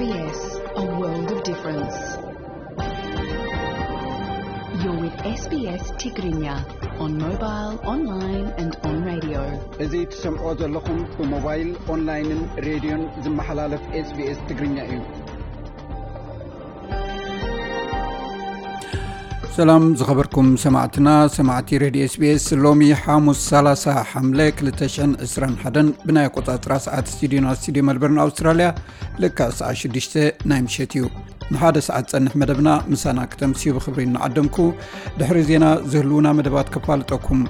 S B S, a world of difference. You're with S B S Tigrinya on mobile, online and on radio. እዚ ትሰምዖ ዘለኹም ብሞባይል፣ ኦንላይንን ሬድዮን ዝመሓላለፍ SBS ትግርኛ እዩ። ሰላም ዝኸበርኩም ሰማዕትና፣ ሰማዕቲ ሬድዮ SBS። ሎሚ ሓሙስ ሰላሳ ሓምለ ክልተ ሽሕን ዕስራን ሓደን ብናይ ኣቆጻጽራ ሰዓት ስቱዲዮና፣ ስቱዲዮ መልበርን ኣውስትራልያ፣ ልክዕ ሰዓት ሽዱሽተ ናይ ምሸት እዩ። ንሓደ ሰዓት ጸንሕ መደብና ምሳና ክተምስዩ ብኽብሪ እናዓደምኩ፣ ድሕሪ ዜና ዝህልዉና መደባት ከፋልጠኩም።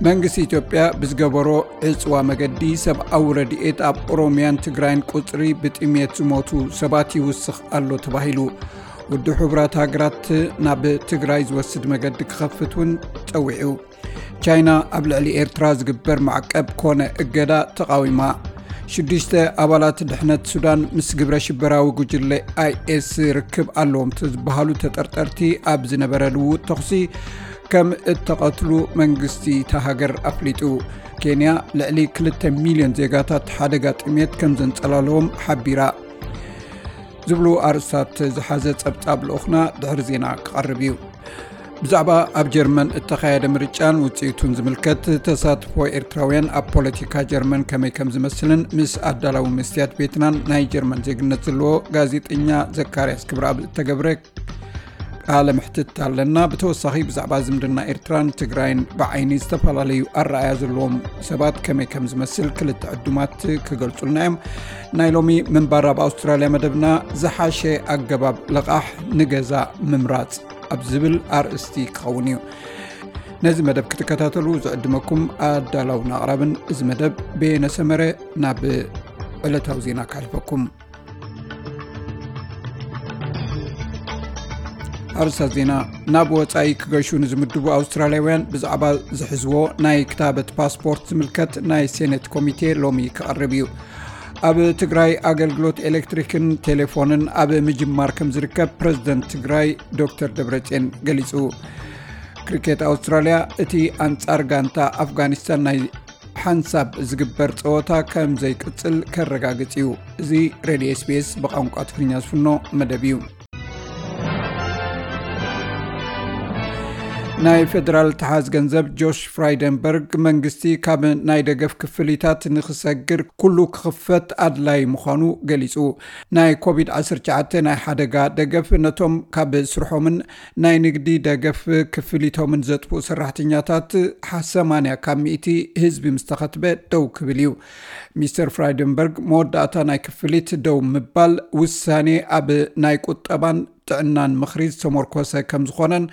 መንግስቲ ኢትዮጵያ ብዝገበሮ ዕጽዋ መገዲ ሰብኣዊ ረድኤት ኣብ ኦሮሚያን ትግራይን ቁጽሪ ብጥሜት ዝሞቱ ሰባት ይውስኽ ኣሎ ተባሂሉ። ውድብ ሕቡራት ሃገራት ናብ ትግራይ ዝወስድ መገዲ ክኸፍት እውን ጸዊዑ። ቻይና ኣብ ልዕሊ ኤርትራ ዝግበር ማዕቀብ ኮነ እገዳ ተቓዊማ። ሽዱሽተ ኣባላት ድሕነት ሱዳን ምስ ግብረ ሽበራዊ ጉጅለ ኣይኤስ ርክብ ኣለዎም ዝበሃሉ ተጠርጠርቲ ኣብ ዝነበረ ልውውጥ ተኹሲ ከም እተቐትሉ መንግስቲ እታ ሃገር ኣፍሊጡ። ኬንያ ልዕሊ ክልተ ሚልዮን ዜጋታት ሓደጋ ጥሜት ከም ዘንጸላለዎም ሓቢራ። ዝብሉ ኣርእስታት ዝሓዘ ጸብጻብ ልኡኽና ድሕሪ ዜና ክቐርብ እዩ። ብዛዕባ ኣብ ጀርመን እተኻየደ ምርጫን ውጽኢቱን ዝምልከት፣ ተሳትፎ ኤርትራውያን ኣብ ፖለቲካ ጀርመን ከመይ ከም ዝመስልን ምስ ኣዳላዊ መስትያት ቤትናን ናይ ጀርመን ዜግነት ዘለዎ ጋዜጠኛ ዘካርያስ ክብረኣብ እተገብረ ቃለ ምሕትት ኣለና። ብተወሳኺ ብዛዕባ ዝምድና ኤርትራን ትግራይን ብዓይኒ ዝተፈላለዩ ኣረኣያ ዘለዎም ሰባት ከመይ ከም ዝመስል ክልተ ዕዱማት ክገልጹልና እዮም። ናይ ሎሚ ምንባር ኣብ ኣውስትራልያ መደብና ዝሓሸ ኣገባብ ልቓሕ ንገዛ ምምራጽ ኣብ ዝብል ኣርእስቲ ክኸውን እዩ። ነዚ መደብ ክትከታተሉ ዝዕድመኩም ኣዳላውን ኣቕራብን እዚ መደብ በየነ ሰመረ። ናብ ዕለታዊ ዜና ከሕልፈኩም። ኣርእስታት ዜና። ናብ ወጻኢ ክገሹ ንዝምድቡ ኣውስትራልያውያን ብዛዕባ ዝሕዝዎ ናይ ክታበት ፓስፖርት ዝምልከት ናይ ሴኔት ኮሚቴ ሎሚ ክቐርብ እዩ። ኣብ ትግራይ ኣገልግሎት ኤሌክትሪክን ቴሌፎንን ኣብ ምጅማር ከም ዝርከብ ፕረዚደንት ትግራይ ዶክተር ደብረጽዮን ገሊጹ። ክሪኬት ኣውስትራልያ እቲ ኣንጻር ጋንታ ኣፍጋኒስታን ናይ ሓንሳብ ዝግበር ጸወታ ከም ዘይቅጽል ከረጋግጽ እዩ። እዚ ሬድዮ SBS ብቋንቋ ትግርኛ ዝፍኖ መደብ እዩ። ናይ ፌደራል ተሓዝ ገንዘብ ጆሽ ፍራይደንበርግ መንግስቲ ካብ ናይ ደገፍ ክፍሊታት ንክሰግር ኩሉ ክኽፈት ኣድላይ ምዃኑ ገሊጹ። ናይ ኮቪድ ዓሰርተ ትሽዓተ ናይ ሓደጋ ደገፍ ነቶም ካብ ስርሖምን ናይ ንግዲ ደገፍ ክፍሊቶምን ዘጥፍኡ ሰራሕተኛታት ሰማንያ ካብ ሚእቲ ህዝቢ ምስ ተኸትበ ደው ክብል እዩ። ሚስተር ፍራይደንበርግ መወዳእታ ናይ ክፍሊት ደው ምባል ውሳኔ ኣብ ናይ ቁጠባን ጥዕናን ምኽሪ ዝተመርኮሰ ከም ዝኾነን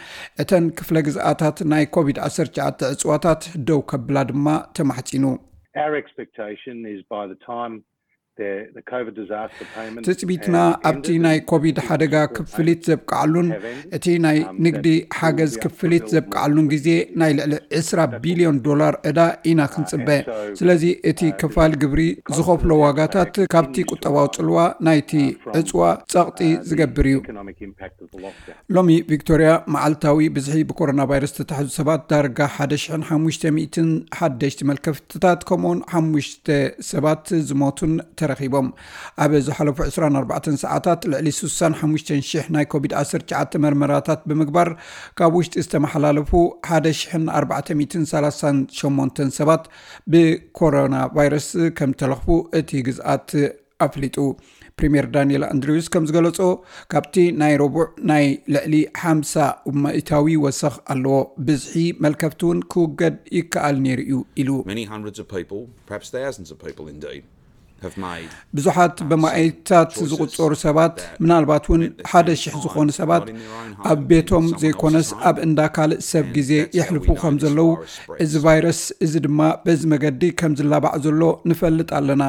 እተን ክፍለ ግዝኣታት ናይ ኮቪድ ዓሰርተ ትሽዓተ ዕጽዋታት ደው ከብላ ድማ ተማሕጺኑ። Our expectation is by the time the, the COVID disaster payment ትጽቢትና has ኣብቲ ended ናይ and ኮቪድ ሓደጋ ክፍሊት ዘብቅዓሉን እቲ ናይ ንግዲ ሓገዝ ክፍሊት ዘብቅዓሉን ግዜ ናይ ልዕሊ ዕስራ ቢልዮን ዶላር ዕዳ ኢና ክንጽበ። ስለዚ እቲ ከፋል ግብሪ ዝኸፍሎ ዋጋታት ካብቲ ቁጠባዊ ጽልዋ ናይቲ ዕጽዋ ጸቕጢ ዝገብር እዩ። ሎሚ ቪክቶርያ መዓልታዊ ብዝሒ ብኮሮና ቫይረስ ዝተታሕዙ ሰባት ዳርጋ ሓደ ሽሕን ሓሙሽተ ሚእትን ሓደሽቲ መልከፍትታት ከምኡውን ሓሙሽተ ሰባት ዝሞቱን ተረኺቦም። ኣብ ዝሓለፉ ዕስራን ኣርባዕተን ሰዓታት ልዕሊ ስሳን ሓሙሽተን ሽሕ ናይ ኮቪድ ዓሰርተ ትሽዓተ መርመራታት ብምግባር ካብ ውሽጢ ዝተመሓላለፉ ሓደ ሽሕን ኣርባዕተ ሚእትን ሰላሳን ሸሞንተን ሰባት ብኮሮና ቫይረስ ከም ተለኽፉ እቲ ግዝኣት ኣፍሊጡ። ፕሪምየር ዳንኤል ኣንድሪውስ ከም ዝገለጾ፣ ካብቲ ናይ ረቡዕ ናይ ልዕሊ ሓምሳ ሚእታዊ ወሰኽ ኣለዎ። ብዝሒ መልከፍቲ እውን ክውገድ ይከኣል ነይሩ እዩ ኢሉ። Many hundreds of people, perhaps thousands of people indeed, have made ብዙሓት በማእታት ዝቑጸሩ ሰባት፣ ምናልባት እውን ሓደ ሽሕ ዝኾኑ ሰባት ኣብ ቤቶም ዘይኮነስ ኣብ እንዳ ካልእ ሰብ ግዜ የሕልፉ ከም ዘለዉ፣ እዚ ቫይረስ እዚ ድማ በዚ መገዲ ከም ዝላባዕ ዘሎ ንፈልጥ ኣለና።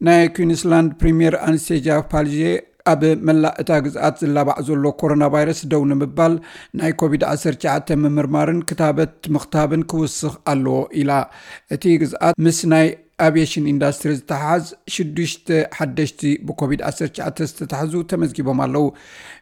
ናይ ኩዊንስላንድ ፕሪምየር ኣንስቴጃ ፓልዤ ኣብ መላእ እታ ግዝኣት ዝላባዕ ዘሎ ኮሮና ቫይረስ ደው ንምባል ናይ ኮቪድ ዓሰርተ ትሽዓተ ምምርማርን ክታበት ምኽታብን ክውስኽ ኣለዎ ኢላ። እቲ ግዝኣት ምስ ናይ ኣቪየሽን ኢንዳስትሪ ዝተሓሓዝ ሽዱሽተ ሓደሽቲ ብኮቪድ ዓሰርተ ትሽዓተ ዝተታሕዙ ተመዝጊቦም ኣለዉ።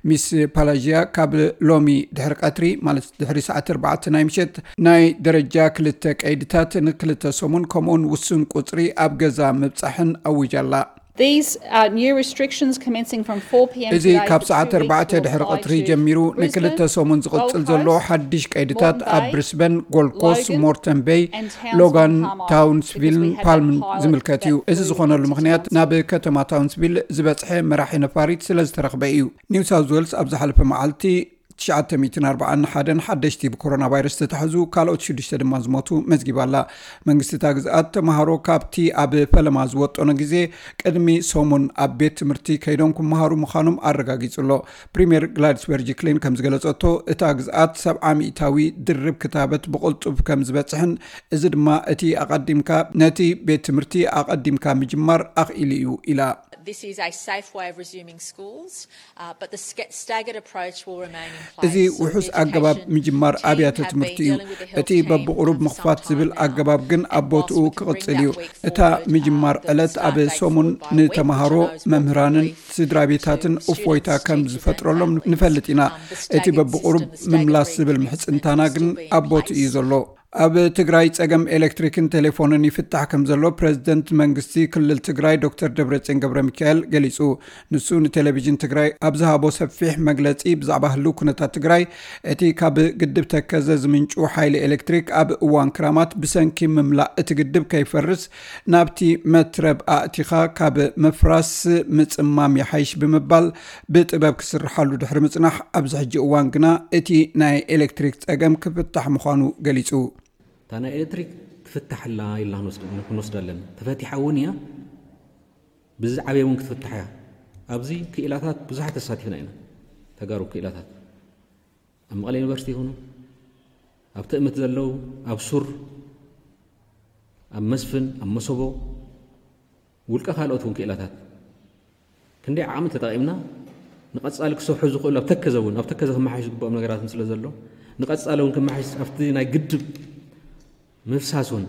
ሚስ ፓላዥያ ካብ ሎሚ ድሕሪ ቀትሪ፣ ማለት ድሕሪ ሰዓት ኣርባዕተ ናይ ምሸት፣ ናይ ደረጃ ክልተ ቀይድታት ንክልተ ሰሙን ከምኡውን ውሱን ቁጽሪ ኣብ ገዛ ምብጻሕን ኣዊጃ ኣላ። These uh, new restrictions commencing from four p.m. እዚ ካብ ሰዓት ኣርባዕተ ድሕሪ ቀትሪ ጀሚሩ ንክልተ ሰሙን ዝቕጽል ዘሎ ሓድሽ ቀይድታት ኣብ ብሪስበን፣ ጎልድ ኮስት፣ ሞርተን ቤይ፣ ሎጋን፣ ታውንስቪልን ፓልምን ዝምልከት እዩ። እዚ ዝኾነሉ ምኽንያት ናብ ከተማ ታውንስቪል ዝበጽሐ መራሒ ነፋሪት ስለ ዝተረኽበ እዩ። ኒው ሳውዝ ዌልስ ኣብ ዝሓለፈ መዓልቲ ትሽዓተ ሚእትን ኣርባዓን ሓደን ሓደሽቲ ብኮሮና ቫይረስ ዝተታሕዙ፣ ካልኦት ሽዱሽተ ድማ ዝሞቱ መዝጊባ ኣላ። መንግስቲ እታ ግዝኣት ተምሃሮ ካብቲ ኣብ ፈለማ ዝወጠኖ ግዜ ቅድሚ ሰሙን ኣብ ቤት ትምህርቲ ከይዶም ክመሃሩ ምዃኖም ኣረጋጊጹ ኣሎ። ፕሪምየር ግላድስ በርጂክሊን ከም ዝገለጸቶ፣ እታ ግዝኣት ሰብዓ ሚእታዊ ድርብ ክታበት ብቕልጡፍ ከም ዝበጽሕን፣ እዚ ድማ እቲ ኣቐዲምካ ነቲ ቤት ትምህርቲ ኣቐዲምካ ምጅማር ኣኽኢሉ እዩ ኢላ። This is a safe way of resuming schools, uh, but the ske- staggered approach will remain in place. እዚ ውሑስ ኣገባብ ምጅማር ኣብያተ ትምህርቲ እዩ። እቲ በብቑሩብ ምኽፋት ዝብል ኣገባብ ግን ኣብ ቦትኡ ክቕጽል እዩ። እታ ምጅማር ዕለት ኣብ ሰሙን ንተምሃሮ፣ መምህራንን ስድራ ቤታትን እፎይታ ከም ዝፈጥረሎም ንፈልጥ ኢና። እቲ በብቑሩብ ምምላስ ዝብል ምሕጽንታና ግን ኣብ ቦትኡ እዩ ዘሎ። ኣብ ትግራይ ጸገም ኤሌክትሪክን ቴሌፎንን ይፍታሕ ከም ዘሎ ፕሬዝደንት መንግስቲ ክልል ትግራይ ዶክተር ደብረጽዮን ገብረ ሚካኤል ገሊጹ። ንሱ ንቴሌቪዥን ትግራይ ኣብ ዝሃቦ ሰፊሕ መግለጺ፣ ብዛዕባ ህልው ኩነታት ትግራይ፣ እቲ ካብ ግድብ ተከዘ ዝምንጩ ሓይሊ ኤሌክትሪክ ኣብ እዋን ክራማት ብሰንኪ ምምላእ እቲ ግድብ ከይፈርስ ናብቲ መትረብ ኣእቲኻ ካብ ምፍራስ ምጽማም ይሓይሽ ብምባል ብጥበብ ክስርሓሉ ድሕሪ ምጽናሕ፣ ኣብዚ ሕጂ እዋን ግና እቲ ናይ ኤሌክትሪክ ጸገም ክፍታሕ ምዃኑ ገሊጹ። እታ ናይ ኤሌክትሪክ ትፍታሕ ኣላ ኢልና ክንወስድ- ክንወስዳ ኣለና። ተፈቲሓ እውን እያ፣ ብዝዓበየ እውን ክትፍታሕ እያ። ኣብዚ ክኢላታት ብዙሓት ተሳቲፍና ኢና። ተጋሩ ክኢላታት ኣብ መቐለ ዩኒቨርሲቲ ይኹኑ፣ ኣብ ትእምት ዘለዉ፣ ኣብ ሱር፣ ኣብ መስፍን፣ ኣብ መሰቦ፣ ውልቀ ካልኦት እውን ክኢላታት ክንደይ ዓቕሚ ተጠቒምና ንቐጻሊ ክሰርሑ ዝኽእሉ ኣብ ተከዘ እውን ኣብ ተከዘ ክመሓሽ ዝግብኦም ነገራትን ስለ ዘሎ ንቐጻሊ እውን ክመሓሽ ኣብቲ ናይ ግድብ ምፍሳስ እውን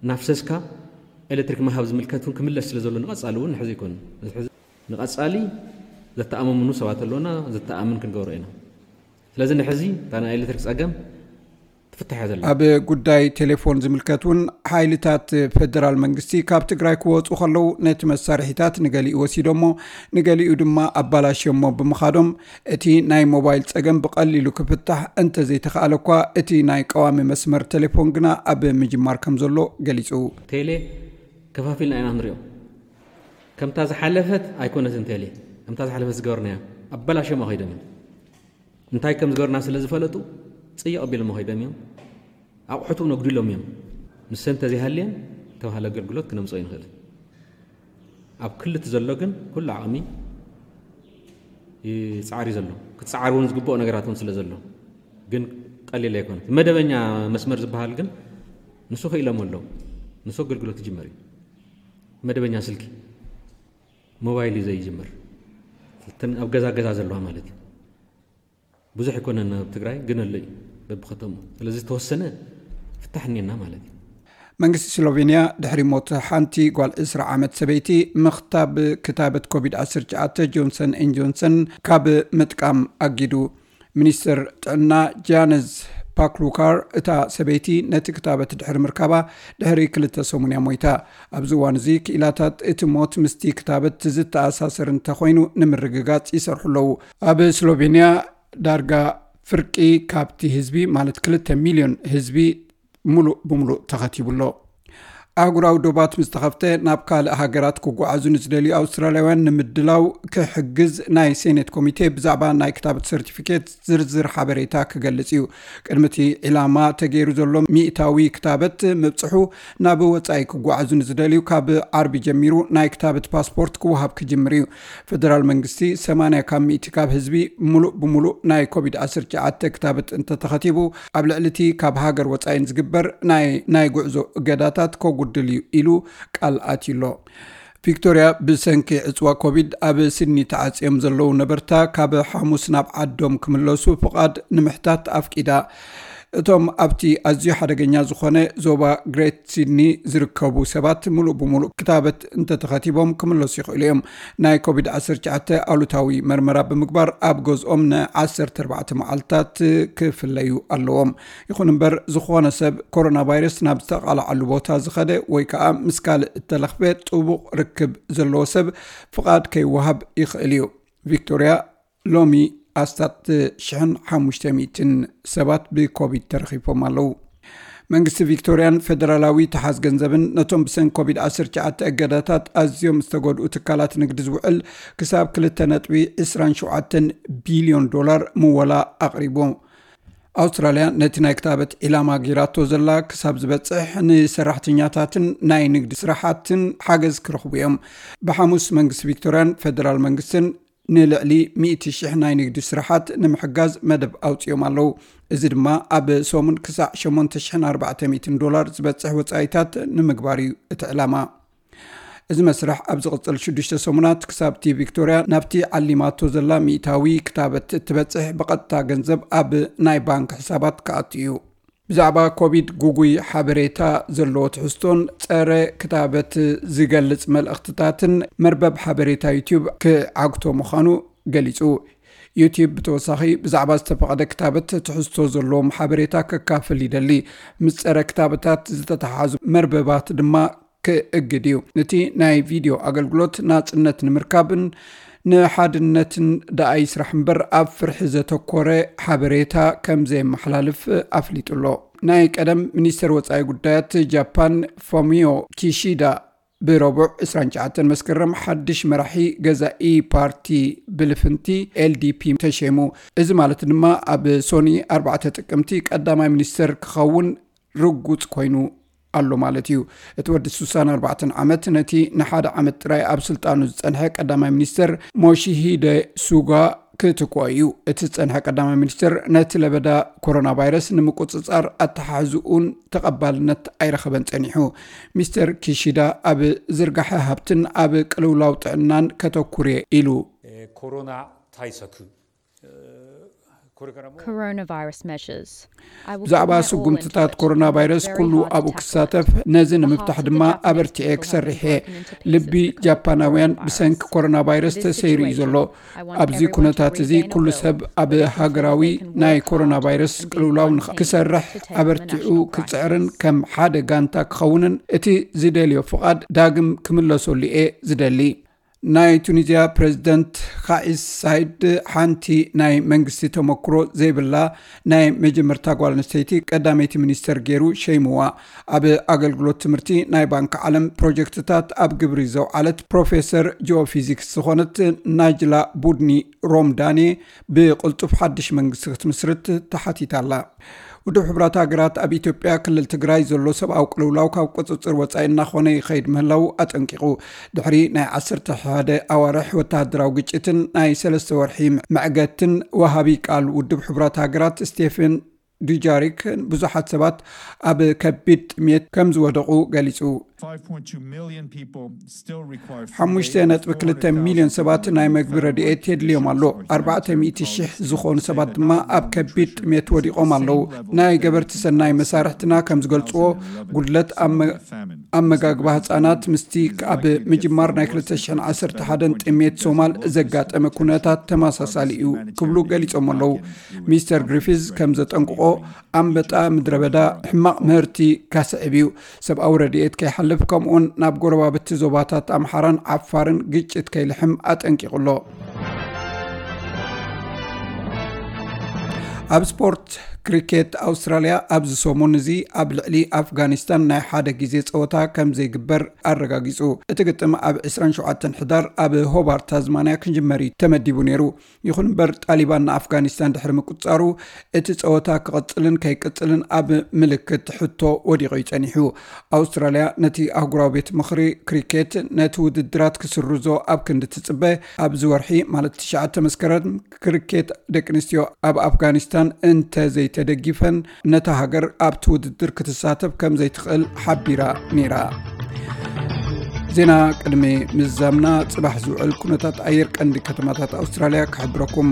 እናፍሰስካ ኤሌክትሪክ ምሃብ ዝምልከት እውን ክምለስ ስለ ዘሎ ንቐጻሊ እውን ንሕዚ ኣይኮነን። ንሕዚ ንቐጻሊ ዘተኣማምኑ ሰባት ኣለውና፣ ዘተኣምን ክንገብሮ ኢና። ስለዚ ንሕዚ እታ ናይ ኤሌክትሪክ ጸገም ትፍታሕ እያ ዘላ። ኣብ ጉዳይ ቴሌፎን ዝምልከት እውን ሓይልታት ፌደራል መንግስቲ ካብ ትግራይ ክወፁ ከለዉ ነቲ መሳርሒታት ንገሊኡ ወሲዶሞ፣ ንገሊኡ ድማ ኣባላሽዮሞ ብምኻዶም እቲ ናይ ሞባይል ጸገም ብቐሊሉ ክፍታሕ እንተዘይተኻእለ እኳ እቲ ናይ ቀዋሚ መስመር ቴሌፎን ግና ኣብ ምጅማር ከም ዘሎ ገሊጹ። ቴሌ ከፋፊልና ኢና ንሪኦ። ከምታ ዝሓለፈት ኣይኮነትን ቴሌ፣ ከምታ ዝሓለፈት ዝገበርናያ ኣባላሽዮማ ከይዶም እዮም። እንታይ ከም ዝገበርና ስለ ዝፈለጡ ጽይቕ ኣቢሎም ከይዶም እዮም። ኣቑሑት እውን ኣጉዲሎም እዮም። ንሰን እንተዘይሃልየን ተባህለ ኣገልግሎት ክነምጽኦ ይንኽእል። ኣብ ክልት ዘሎ ግን ኩሉ ዓቕሚ ይጻዕር እዩ ዘሎ። ክትጻዓር እውን ዝግብኦ ነገራት እውን ስለ ዘሎ ግን ቀሊል ኣይኮነ። መደበኛ መስመር ዝበሃል ግን ንሱ ክኢሎም ኣለዉ። ንሱ ኣገልግሎት ይጅመር እዩ። መደበኛ ስልኪ ሞባይል እዩ ዘይጅምር። እተን ኣብ ገዛ ገዛ ዘለዋ ማለት እዩ። ብዙሕ ኣይኮነን ኣብ ትግራይ ግን ኣሎ እዩ በብከተሙ። ስለዚ ዝተወሰነ ፍታሕ እኒአና ማለት እዩ። መንግስቲ ስሎቬንያ ድሕሪ ሞት ሓንቲ ጓል ዕስራ ዓመት ሰበይቲ ምኽታብ ክታበት ኮቪድ ዓሰርተ ትሽዓተ ጆንሰን ኤን ጆንሰን ካብ ምጥቃም ኣጊዱ። ሚኒስትር ጥዕና ጃነዝ ፓክሉካር እታ ሰበይቲ ነቲ ክታበት ድሕሪ ምርካባ ድሕሪ ክልተ ሰሙን እያ ሞይታ። ኣብዚ እዋን እዚ ክኢላታት እቲ ሞት ምስቲ ክታበት ዝተኣሳሰር እንተኾይኑ ንምርግጋጽ ይሰርሑ ኣለዉ። ኣብ ስሎቬንያ ዳርጋ ፍርቂ ካብቲ ህዝቢ ማለት ክልተ ሚልዮን ህዝቢ ሙሉእ ብሙሉእ ተኸቲቡ ኣሎ። ኣህጉራዊ ዶባት ምስ ተኸፍተ ናብ ካልእ ሃገራት ክጓዓዙ ንዝደልዩ ኣውስትራልያውያን ንምድላው ክሕግዝ ናይ ሴኔት ኮሚቴ ብዛዕባ ናይ ክታበት ሰርቲፊኬት ዝርዝር ሓበሬታ ክገልጽ እዩ። ቅድሚ እቲ ዒላማ ተገይሩ ዘሎ ሚእታዊ ክታበት ምብጽሑ ናብ ወጻኢ ክጓዓዙ ንዝደልዩ ካብ ዓርቢ ጀሚሩ ናይ ክታበት ፓስፖርት ክወሃብ ክጅምር እዩ። ፈደራል መንግስቲ ሰማንያ ካብ ሚእቲ ካብ ህዝቢ ሙሉእ ብሙሉእ ናይ ኮቪድ ዓሰርተ ትሽዓተ ክታበት እንተተኸቲቡ ኣብ ልዕሊ እቲ ካብ ሃገር ወጻኢን ዝግበር ናይ ናይ ጉዕዞ እገዳታት ከጉድል እዩ ኢሉ ቃል ኣትዩ ኣሎ። ቪክቶርያ ብሰንኪ ዕፅዋ ኮቪድ ኣብ ሲድኒ ተዓፅዮም ዘለዉ ነበርታ ካብ ሓሙስ ናብ ዓዶም ክምለሱ ፍቓድ ንምሕታት ኣፍቂዳ። እቶም ኣብቲ ኣዝዩ ሓደገኛ ዝኾነ ዞባ ግሬት ሲድኒ ዝርከቡ ሰባት ምሉእ ብምሉእ ክታበት እንተተኸቲቦም ክምለሱ ይኽእሉ እዮም። ናይ ኮቪድ ዓሰርተ ትሽዓተ ኣሉታዊ መርመራ ብምግባር ኣብ ገዝኦም ን ዓሰርተ ኣርባዕተ መዓልታት ክፍለዩ ኣለዎም። ይኹን እምበር፣ ዝኾነ ሰብ ኮሮና ቫይረስ ናብ ዝተቓልዓሉ ቦታ ዝኸደ ወይ ከዓ ምስ ካልእ እተለኽፈ ጥቡቕ ርክብ ዘለዎ ሰብ ፍቓድ ከይወሃብ ይኽእል እዩ። ቪክቶርያ ሎሚ ኣስታት ሽሕን ሓሙሽተ ሚእትን ሰባት ብኮቪድ ተረኺፎም ኣለዉ። መንግስቲ ቪክቶርያን ፌደራላዊ ተሓዝ ገንዘብን ነቶም ብሰን ኮቪድ ዓሰርተ ትሽዓተ እገዳታት ኣዝዮም ዝተጎድኡ ትካላት ንግዲ ዝውዕል ክሳብ ክልተ ነጥቢ ዕስራን ሸውዓተን ቢልዮን ዶላር ምወላ ኣቕሪቡ። ኣውስትራልያ ነቲ ናይ ክታበት ዒላማ ጌራቶ ዘላ ክሳብ ዝበጽሕ ንሰራሕተኛታትን ናይ ንግዲ ስራሓትን ሓገዝ ክረኽቡ እዮም። ብሓሙስ መንግስቲ ቪክቶርያን ፌደራል መንግስትን ንልዕሊ ሚእቲ ሽሕ ናይ ንግዲ ስራሓት ንምሕጋዝ መደብ ኣውጺኦም ኣለዉ። እዚ ድማ ኣብ ሰሙን ክሳዕ ሸሞንተ ሽሕን ኣርባዕተ ሚእትን ዶላር ዝበጽሕ ወጻኢታት ንምግባር እዩ እቲ ዕላማ። እዚ መስርሕ ኣብ ዝቕጽል ሽዱሽተ ሰሙናት ክሳብቲ ቪክቶርያ ናብቲ ዓሊማቶ ዘላ ሚእታዊ ክታበት እትበጽሕ ብቐጥታ ገንዘብ ኣብ ናይ ባንክ ሕሳባት ክኣቱ እዩ። ብዛዕባ ኮቪድ ጉጉይ ሓበሬታ ዘለዎ ትሕዝቶን ጸረ ክታበት ዝገልጽ መልእኽትታትን መርበብ ሓበሬታ ዩቲዩብ ክዓግቶ ምዃኑ ገሊጹ። ዩቲዩብ ብተወሳኺ ብዛዕባ ዝተፈቐደ ክታበት ትሕዝቶ ዘለዎም ሓበሬታ ከካፍል ይደሊ። ምስ ጸረ ክታበታት ዝተተሓሓዙ መርበባት ድማ ክእግድ እዩ። ነቲ ናይ ቪድዮ ኣገልግሎት ናጽነት ንምርካብን ንሓድነትን ደኣ ይስራሕ እምበር ኣብ ፍርሒ ዘተኮረ ሓበሬታ ከም ዘየመሓላልፍ ኣፍሊጡ ኣሎ። ናይ ቀደም ሚኒስተር ወጻኢ ጉዳያት ጃፓን ፎሚዮ ኪሺዳ ብረቡዕ ዕስራን ትሽዓተን መስከረም ሓድሽ መራሒ ገዛኢ ፓርቲ ብልፍንቲ ኤልዲፒ ተሸይሙ። እዚ ማለት ድማ ኣብ ሶኒ ኣርባዕተ ጥቅምቲ ቀዳማይ ሚኒስተር ክኸውን ርጉጽ ኮይኑ ኣሎ ማለት እዩ። እቲ ወዲ ስሳን ኣርባዕተን ዓመት ነቲ ንሓደ ዓመት ጥራይ ኣብ ስልጣኑ ዝጸንሐ ቀዳማይ ሚኒስተር ሞሺሂደ ሱጋ ክትክኦ እዩ። እቲ ዝጸንሐ ቀዳማይ ሚኒስተር ነቲ ለበዳ ኮሮና ቫይረስ ንምቁጽጻር ኣተሓሕዝኡን ተቐባልነት ኣይረኸበን ጸኒሑ። ሚስተር ኪሺዳ ኣብ ዝርጋሐ ሃብትን ኣብ ቅልውላው ጥዕናን ከተኩር እየ ኢሉ። えーコロナ対策えーこれからも Coronavirus measures. I will ብዛዕባ put my all into ስጉምትታት it. ኮሮና I'm ቫይረስ very ኩሉ hard to ኣብኡ tackle. ክሳተፍ፣ ነዚ ንምፍታሕ ድማ ኣበርቲዐ ክሰርሕ እየ። ልቢ ጃፓናውያን ብሰንኪ ኮሮና ቫይረስ ተሰይሩ እዩ ዘሎ። ኣብዚ ኩነታት እዚ ኩሉ ሰብ ኣብ ሃገራዊ ናይ ኮሮና ቫይረስ ቅልውላው ንኽ- ክሰርሕ ኣበርቲዑ ክጽዕርን ከም ሓደ ጋንታ ክኸውንን እቲ ዝደልዮ ፍቓድ ዳግም ክምለሰሉ እየ ዝደሊ። ናይ ቱኒዝያ ፕሬዚደንት ካኢስ ሳይድ ሓንቲ ናይ መንግስቲ ተመክሮ ዘይብላ ናይ መጀመርታ ጓል ኣንስተይቲ ቀዳመይቲ ሚኒስተር ገይሩ ሸይምዋ። ኣብ ኣገልግሎት ትምህርቲ ናይ ባንክ ዓለም ፕሮጀክትታት ኣብ ግብሪ ዘውዓለት ፕሮፌሰር ጂኦፊዚክስ ዝኾነት ናጅላ ቡድኒ ሮምዳኔ ብቕልጡፍ ሓድሽ መንግስቲ ክትምስርት ተሓቲታ ኣላ። ውድብ ሕቡራት ሃገራት ኣብ ኢትዮጵያ ክልል ትግራይ ዘሎ ሰብኣዊ ቅልውላው ካብ ቁፅፅር ወፃኢ እናኾነ ይኸይድ ምህላው ኣጠንቂቑ። ድሕሪ ናይ ዓሰርተ ሓደ ኣዋርሕ ወተሃደራዊ ግጭትን ናይ ሰለስተ ወርሒ መዕገትን፣ ወሃቢ ቃል ውድብ ሕቡራት ሃገራት ስቴፈን ዱጃሪክ ብዙሓት ሰባት ኣብ ከቢድ ጥሜት ከም ዝወደቑ ገሊፁ። ሓሙሽተ ነጥቢ ክልተ ሚልዮን ሰባት ናይ መግቢ ረድኤት የድልዮም ኣሎ። ኣርባዕተ ሚእቲ ሽሕ ዝኾኑ ሰባት ድማ ኣብ ከቢድ ጥሜት ወዲቖም ኣለዉ። ናይ ገበርቲ ሰናይ መሳርሕትና ከም ዝገልጽዎ፣ ጉድለት ኣመ- ኣመጋግባ ህጻናት ምስቲ ኣብ ምጅማር ናይ ክልተ ሽሕን ዓሰርተ ሓደን ጥሜት ሶማል ዘጋጠመ ኩነታት ተመሳሳሊ እዩ ክብሉ ገሊጾም ኣለዉ። ሚስተር ግሪፊዝ ከም ዘጠንቅቖ፣ ኣንበጣ ምድረ በዳ ሕማቕ ምህርቲ ከስዕብ እዩ። ሰብኣዊ ረድኤት ከይሓልፍ፣ ከምኡውን ናብ ጎረባብቲ ዞባታት ኣምሓራን ዓፋርን ግጭት ከይልሕም ኣጠንቂቑ ኣሎ። ኣብ ስፖርት ክሪኬት፣ ኣውስትራልያ ኣብዚ ሰሙን እዚ ኣብ ልዕሊ ኣፍጋኒስታን ናይ ሓደ ግዜ ጸወታ ከም ዘይግበር ኣረጋጊጹ። እቲ ግጥም ኣብ ዕስራን ሸውዓተን ሕዳር ኣብ ሆባርት ታዝማንያ ክጅመር እዩ ተመዲቡ ነይሩ። ይኹን እምበር፣ ጣሊባን ንኣፍጋኒስታን ድሕሪ ምቁጽጻሩ፣ እቲ ጸወታ ክቕጽልን ከይቅጽልን ኣብ ምልክት ሕቶ ወዲቑ እዩ ጸኒሑ። ኣውስትራልያ ነቲ ኣህጉራዊ ቤት ምኽሪ ክሪኬት ነቲ ውድድራት ክስርዞ ኣብ ክንዲ ትጽበ፣ ኣብዚ ወርሒ ማለት ትሽዓተ መስከረም ክሪኬት ደቂ ኣንስትዮ ኣብ ኣፍጋኒስታን እንተ ዘይተደጊፈን፣ ነታ ሃገር ኣብቲ ውድድር ክትሳተፍ ከም ዘይትኽእል ሓቢራ ነይራ። ዜና ቅድሚ ምዝዛምና፣ ጽባሕ ዝውዕል ኩነታት ኣየር ቀንዲ ከተማታት ኣውስትራልያ ክሕብረኩም።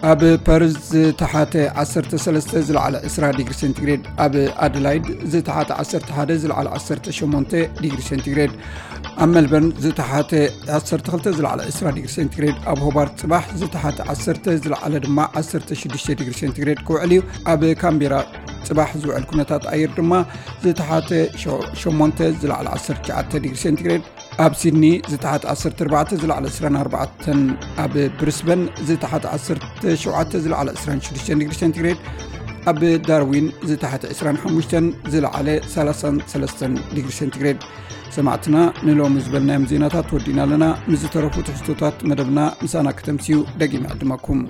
ኣብ ፐርዝ ዝተሓተ ዓሰርተ ሰለስተ ዝለዓለ ዕስራ ዲግሪ ሴንቲግሬድ፣ ኣብ ኣደላይድ ዝተሓተ ዓሰርተ ሓደ ዝለዓለ ዓሰርተ ሸሞንተ ዲግሪ ሴንቲግሬድ፣ ኣብ መልበርን ዝተሓተ ዓሰርተ ክልተ ዝለዓለ ዕስራ ዲግሪ ሴንቲግሬድ፣ ኣብ ሆባርት ጽባሕ ዝተሓተ ዓሰርተ ዝለዓለ ድማ ዓሰርተ ሽዱሽተ ዲግሪ ሴንቲግሬድ ክውዕል እዩ። ኣብ ካምቤራ ጽባሕ ዝውዕል ኩነታት ኣየር ድማ ዝተሓተ ሸ- ሸሞንተ ዝለዓለ ዓሰርተ ትሽዓተ ዲግሪ ሴንቲግሬድ፣ ኣብ ሲድኒ ዝተሓተ ዓሰርተ ኣርባዕተ ዝለዓለ ዕስራን ኣርባዕተን፣ ኣብ ብሪስበን ዝተሓተ ዓሰርተ ሸውዓተ ዝለዓለ ዕስራን ሽዱሽተን ዲግሪ ሴንቲግሬድ፣ ኣብ ዳርዊን ዝተሓተ ዕስራን ሓሙሽተን ዝለዓለ ሰላሳን ሰለስተን ዲግሪ ሴንቲግሬድ። ሰማዕትና፣ ንሎሚ ዝበልናዮም ዜናታት ወዲና ኣለና። ምስ ዝተረፉ ትሕዝቶታት መደብና ምሳና ከተምስዩ ደጊመ ዕድመኩም።